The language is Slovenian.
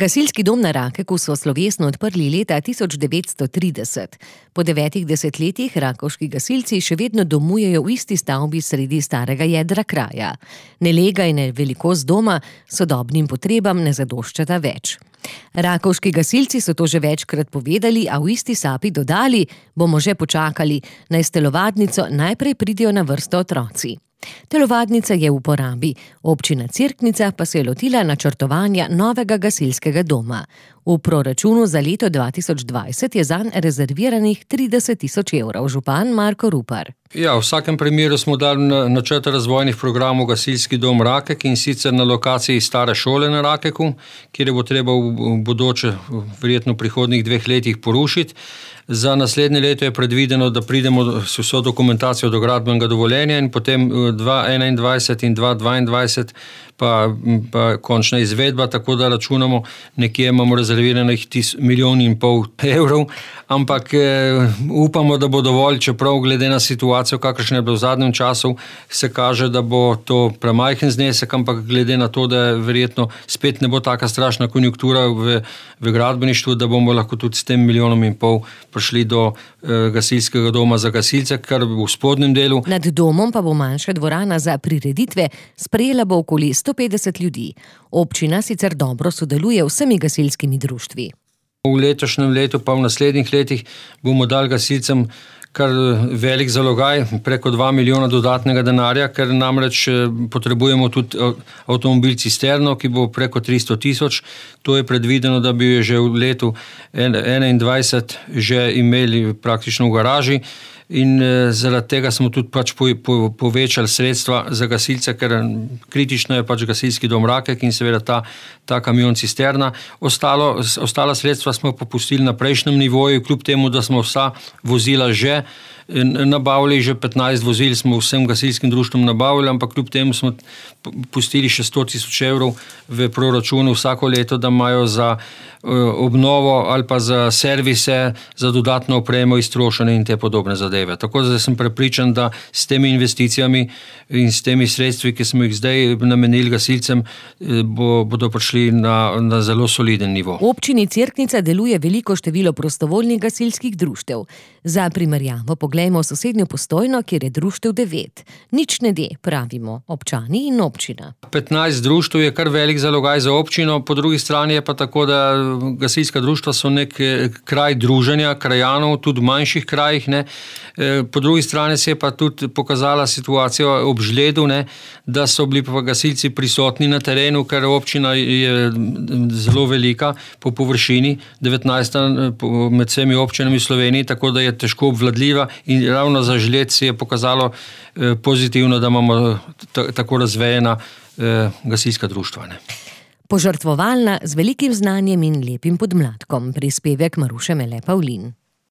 Gasilski dom na Rakeku so slovesno odprli leta 1930. Po 9 desetletjih rakovški gasilci še vedno domujejo v isti stavbi sredi starega jedra kraja. Nelega in velikost doma sodobnim potrebam ne zadoščata več. Rakovški gasilci so to že večkrat povedali, a v isti sapi dodali: bomo že počakali, na telovadnico najprej pridejo na vrsto otroci. Telovadnica je v uporabi, občina Cerknica pa se je lotila načrtovanja novega gasilskega doma. V proračunu za leto 2020 je zanj rezerviranih 30 000 evrov, župan Marko Rupar. Ja, v vsakem primeru smo dali načrt razvojnih programov Gasilski dom Rakek, in sicer na lokaciji stare šole na Rakeku, kjer bo treba v bodoče, verjetno v prihodnjih 2 letih porušiti. Za naslednje leto je predvideno, da pridemo s vso dokumentacijo do gradbenega dovoljenja in potem 2021 in 2022 pa končna izvedba, tako da računamo, nekje imamo rezerviranih 1,5 milijona evrov, ampak upamo, da bo dovolj, čeprav glede na situacijo, kakršna je bila v zadnjem času, se kaže, da bo to premajhen znesek, ampak glede na to, da verjetno spet ne bo taka strašna konjunktura v gradbeništvu, da bomo lahko tudi s tem 1,5 milijona prišli do gasilskega doma za gasilce, kar v spodnjem delu. Nad domom pa bo manjša dvorana za prireditve, sprejela bo okoli 150 ljudi. Občina sicer dobro sodeluje vsemi gasilskimi društvi. V letošnjem letu pa v naslednjih letih bomo dali gasilcem kar velik zalogaj, preko 2 milijona dodatnega denarja, ker namreč potrebujemo tudi avtomobil cisterno, ki bo preko 300 000. To je predvideno, da bi jo že v letu 2021 že imeli praktično v garaži. In zaradi tega smo tudi povečali sredstva za gasilce, ker kritično je gasilski dom Rakek in seveda ta kamion cisterna. Ostala sredstva smo popustili na prejšnjem nivoju, kljub temu, da smo vsa vozila že nabavili, že 15 vozil smo vsem gasilskim društvom nabavili, ampak kljub temu smo pustili še 100 000 evrov v proračunu vsako leto, da imajo za obnovo ali pa za servise, za dodatno opremo, iztrošene in te podobne zadeve. Tako da sem prepričan, da s temi investicijami in s temi sredstvi, ki smo jih zdaj namenili gasilcem, bodo prišli na zelo soliden nivo. V občini Cerknica deluje veliko število prostovoljnih gasilskih društev. Za primerjavo poglejmo sosednjo Postojno, kjer je društev 9. Nič ne de, pravimo občani in občina. 15 društev je kar velik zalogaj za občino, po drugi strani je pa tako, da gasilska društva so nek kraj druženja krajanov, tudi v manjših krajih. Po drugi strani se je pa tudi pokazala situacija ob žledu, da so bili pa gasilci prisotni na terenu, ker občina je zelo velika po površini, 19 med vsemi občinami v Sloveniji, tako da je težko obvladljiva, in ravno za žled se je pokazalo pozitivno, da imamo tako razvejena gasilska društva. Požrtvovalna, z velikim znanjem in lepim podmladkom. Prispevek Maruše Mele Pavlin.